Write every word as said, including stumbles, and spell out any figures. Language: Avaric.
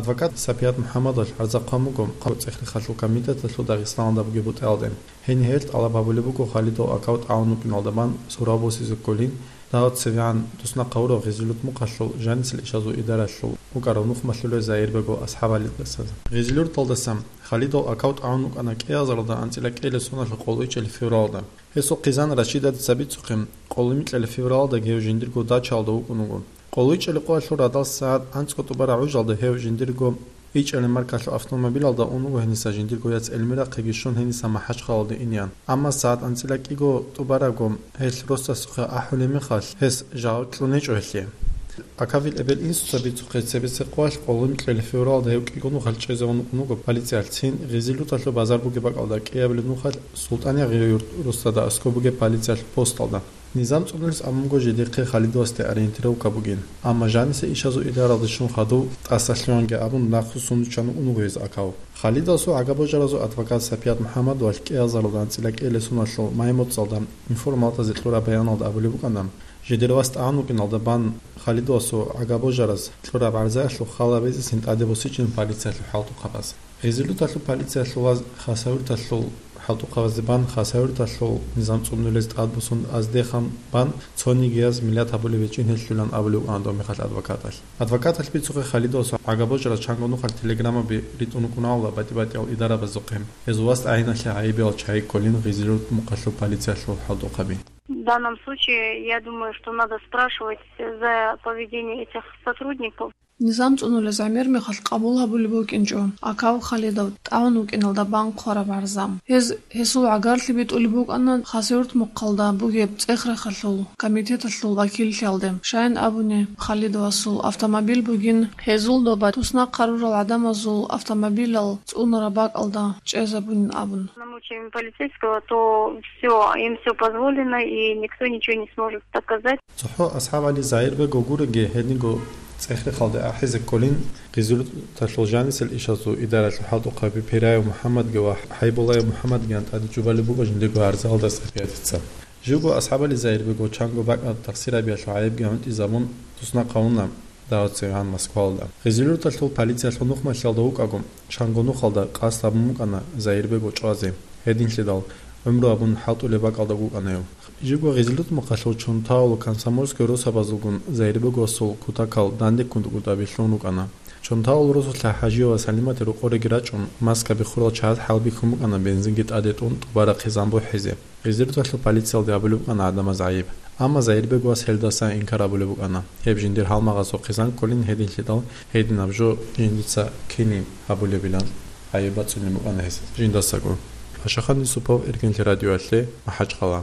Адвокат Сапият МухӀаммадовалъ гӀарза хъван буго ЦӀехрехалъул комитеталъул Дагъистаналда бугеб бутӀаялде. Гьениб гьелъ тӀалаб гьабулеб буго Халидов Акав тӀагӀун вукӀиналда бан сурав босизе кколин, дагьав цевегӀан туснахъ гьавурав Гъизилурт мухъалъул жанисел ишазул идаралъул вукӀарав нухмалъулев Заирбегов АсхӀабгӀалидаса. Гъизилурталдаса Халидов Акав тӀагӀун вукӀана кӀиазаралда анцӀила кӀиабилеб соналъул къоло ичӀабилеб февралда. Гьесул хъизан Рашидатица бицухъе, къоло микьабилеб февралдаги гьев жиндирго дачаялда вукӀун вуго. Къоло ичӀабилеб къоялъул радал сагӀат анцӀго тӀубараб гӀужалда гьев жиндирго ичӀабилеб маркалъул автомобилалда ун вуго гьениса жиндирго яц Эльмирахъеги щун гьениса МахӀачхъалалде инеян. Амма сагӀат анцӀила кӀиго тӀубарабго гьелъ росасухъе ахӀулеб мехалъ, гьес жагьу кьун гьечӀо гьелъие. Акавил эбел-инсуца бицухъе, цебесеб къоялъ къоло микьабилеб февралда гьев кӀиго нухалъ чӀезавун вукӀун вуго полициялъ, цин Гъизилурталъул базар бугеб бакӀалда кӀиабилеб нухалъ СултӀан-Ягъияб юрт росдада аскӀоб бугеб полициялъул посталда. Низам цӀунулес абун буго жидехъе Халидовасде ориентировка бугин, амма жанисе ишазул идаралде щун хадув тӀасалъугьанги абун нахъе сундучан вукӀун вуго гьез Акав. Халидовасул гӀагабожаразул адвокат Сапият МухӀаммадовалъ кӀиазаралда анцӀила кӀиабилеб соналъул май-моцӀалда информалдаса кьураб баяналда абулеб букӀана, жидер вас тӀагӀун вукӀиналда бан Халидовасул гӀагабожараз кьураб гӀарзаялъул хал гьабизесин тӀаде босичӀин полициялъул хӀалтӀухъабаз. Гъизилурталъул полициялъул ва Хасавюрталъул хӀалтӀухъабазде бан Хасавюрталъул низам цӀунулез тӀадбуссун аздехун бан цонигияз миллат гьабулеб гьечӀин гьелъулан абулеб букӀана дов мехалъ адвокаталъ. Адвокаталъ бицухъе Халидовасул гӀагабожараз чанго нухалъ телеграммаби ритӀун рукӀунаанила батӀи-батӀиял идарабазухъе. Гьезул вас тӀагӀиналъе гӀайибиял чагӀи кколин Гъизилурт мухъалъул полициялъул хӀалтӀухъаби. В данном случае, я думаю, что надо спрашивать за поведение этих сотрудников. Низам цӀунулез гӀемер мехалъ къабул гьабулеб букӀинчӀо Акав Халидов тӀагӀун вукӀиналда бан хъвараб гӀарза. Гьез гьесул гӀагарлъи битӀулеб букӀана Хасавюрт мухъалда бугеб ЦӀехрехалъул комитеталъул вакиллъиялде, щайин абуни, Халидовасул автомобиль бугин, гьезул доба туснахъ гьарурал гӀадамазул автомобилал цӀунараб бакӀалда чӀезабунин абун. Намучаем полицейского, то всё, им всё позволено, и никто ничего не сможет доказать. ЦохӀо АсхӀабгӀали Заирбегов гурони гьединго ЦӀехрехалде ахӀизе кколин, Гъизилурталъул жанисел ишазул идаралъул хӀалтӀухъаби Пираев МухӀаммадги ва ХӀайбулаев МухӀаммадгиян тӀаде чӀубалеб буго жиндирго гӀарзаялда Сапиятица. Живго АсхӀабгӀали Заирбегов чанго бакӀалда тахсир гьабиялъул гӀайибги гӀунтӀизабун туснахъ гьавуна дагьав цевегӀан Москвалда. Гъизилурталъул полициялъул нухмалъиялда вукӀаго, чанго нухалда къасд гьабун букӀана Заирбегов чӀвазе. Гьединлъидал гӀумру гьабун хӀалтӀулеб бакӀалда вукӀана гьев. Живго Гъизилурт мухъалъул Чонтаул Комсомольская росабазулгун Заирбеговасул кутакал дандеккун дукӀутӀаби лъун рукӀана. Чонтаул росулъа ХӀажие ва Салимате рокъореги рачӀун, маскаби хурал чагӀаз хӀалбихьун букӀана бензинги тӀаде тӀун тӀубараб хъизан бухӀизе. Гъизилурталъул полициялде абулеб букӀана гӀадамаз гӀайиб. Амма Заирбеговас гьелдаса инкар гьабулеб букӀана. Гьеб жиндир гьалмагъасул хъизан кколин гьединлъидал, гьединаб жо жиндица кинин гьабулебилан гӀайиб бацӀцӀулеб букӀана гьес жиндасаго. Пашахан Юсупов, Эркенлъи радиоялъе, МахӀачхъала.